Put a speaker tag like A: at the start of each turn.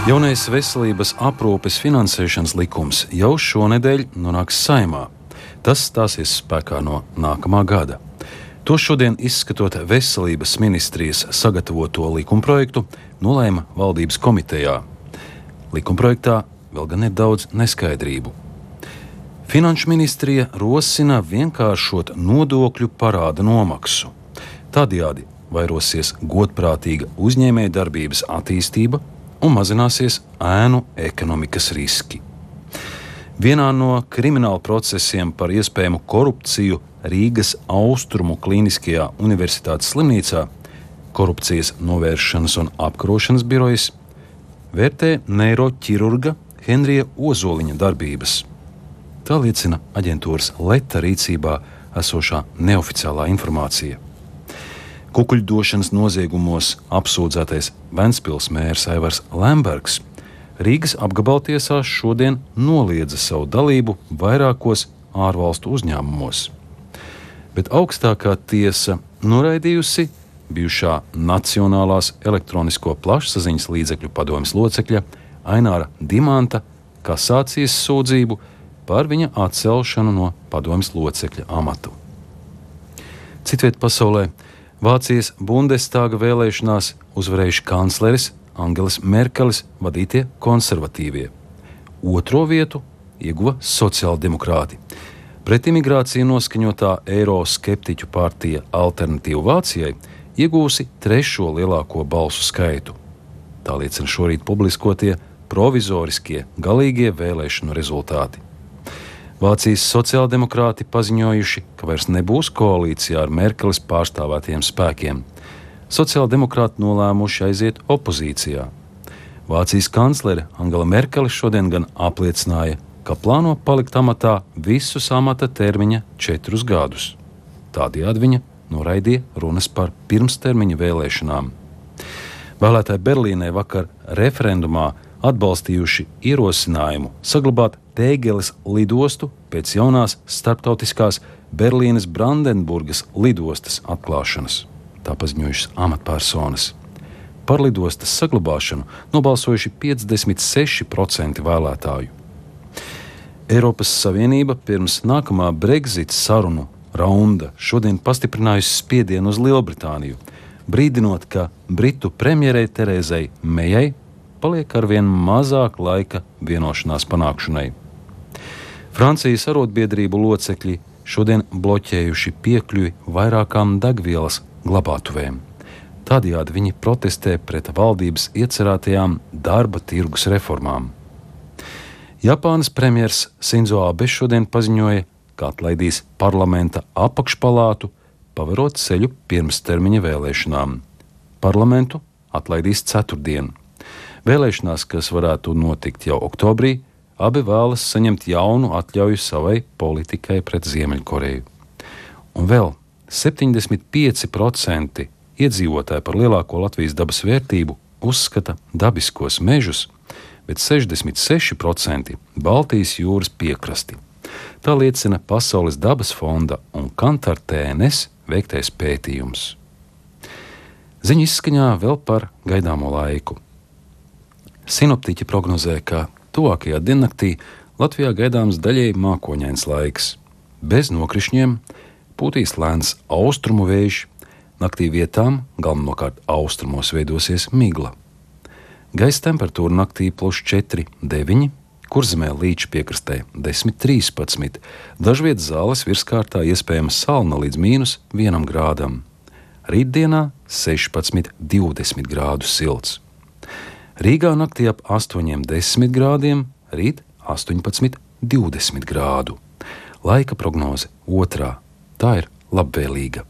A: Jaunais veselības aprūpes finansēšanas likums jau šonedēļ nonāks Saeimā. Tas stāsies spēkā no nākamā gada. To šodien, izskatot veselības ministrijas sagatavoto likumprojektu, nolēma valdības komitejā. Likumprojektā vēl gan ir daudz neskaidrību. Finanšu ministrija rosina vienkāršot nodokļu parāda nomaksu. Tādējādi vairosies godprātīga uzņēmējdarbības attīstība un mazināsies ēnu ekonomikas riski. Vienā no krimināla procesiem par iespējamu korupciju Rīgas Austrumu Kliniskajā universitātes slimnīcā korupcijas novēršanas un apkarošanas birojas vērtē neiroķirurga Henrija Ozoliņa darbības. Tā liecina aģentūras Leta rīcībā esošā neoficiālā informācija. Kukuļdošanas noziegumos apsūdzētais Ventspils mērs Aivars Lembergs Rīgas apgabaltiesā šodien noliedza savu dalību vairākos ārvalstu uzņēmumos. Bet augstākā tiesa noraidījusi bijušā Nacionālās elektronisko plašsaziņas līdzekļu padomes locekļa Aināra Dimanta kasācijas sūdzību par viņa atcelšanu no padomes locekļa amatu. Citviet pasaulē Vācijas Bundestāga vēlēšanās uzvarējuši kancleris Angelas Merkeles vadītie konservatīvie. Otro vietu ieguva sociāldemokrāti. Pret imigrāciju noskaņotā eiroskeptiķu partija Alternatīva Vācijai iegūsi trešo lielāko balsu skaitu. Tā liecina šorīt publiskotie provizoriskie galīgie vēlēšanu rezultāti. Vācijas sociāldemokrāti paziņojuši, ka vairs nebūs koalīcijā ar Merkeles pārstāvētiem spēkiem. Sociāldemokrāti nolēmuši aiziet opozīcijā. Vācijas kanclere Angela Merkele šodien gan apliecināja, ka plāno palikt amatā visus amata termiņa 4 gadus. Tādējādi viņa noraidīja runas par pirmstermiņa vēlēšanām. Vēlētāji Berlīnē vakar referendumā atbalstījuši ierosinājumu saglabāt Tēgeles lidostu pēc jaunās starptautiskās Berlīnes Brandenburgas lidostas atklāšanas. Tā paziņojušas amatpersonas. Par lidostas saglabāšanu nobalsojuši 56% vēlētāju. Eiropas Savienība pirms nākamā Brexit sarunu raunda šodien pastiprinājusi spiedienu uz Lielbritāniju, brīdinot, ka Britu premjerei Terezai Mejai paliek arvien mazāk laika vienošanās panākšanai. Francijas arotbiedrību locekļi šodien bloķējuši piekļuvi vairākām degvielas glabātuvēm. Tādējādi viņi protestē pret valdības iecerētajām darba tirgus reformām. Japānas premjers Sinzo Abe šodien paziņoja, ka atlaidīs parlamenta apakšpalātu, paverot ceļu pirmstermiņa vēlēšanām. Parlamentu atlaidīs ceturtdien. Vēlēšanās, kas varētu notikt jau oktobrī, abi vēlas saņemt jaunu atļauju savai politikai pret Ziemeļkoreju. Un vēl 75% iedzīvotāji par lielāko Latvijas dabas vērtību uzskata dabiskos mežus, bet 66% Baltijas jūras piekrasti. Tā liecina Pasaules dabas fonda un Kantar TNS veiktais pētījums. Ziņu izskaņā vēl par gaidāmo laiku. Sinoptiķi prognozē, ka tuvākajā diennaktī Latvijā gaidāms daļēji mākoņains laiks. Bez nokrišņiem pūtīs lēns austrumu vējš, naktī vietām galvenokārt austrumos veidosies migla. Gaisa temperatūra naktī +4–9, Kurzemē līča piekrastē 10–13, dažviet Zāles virskārtā iespējama salna līdz -1 grādam. Rītdienā 16–20 grādu silts. Rīgā naktī ap 8–10 grādiem, rīt 18–20 grādu. Laika prognoze 2. Tā ir labvēlīga.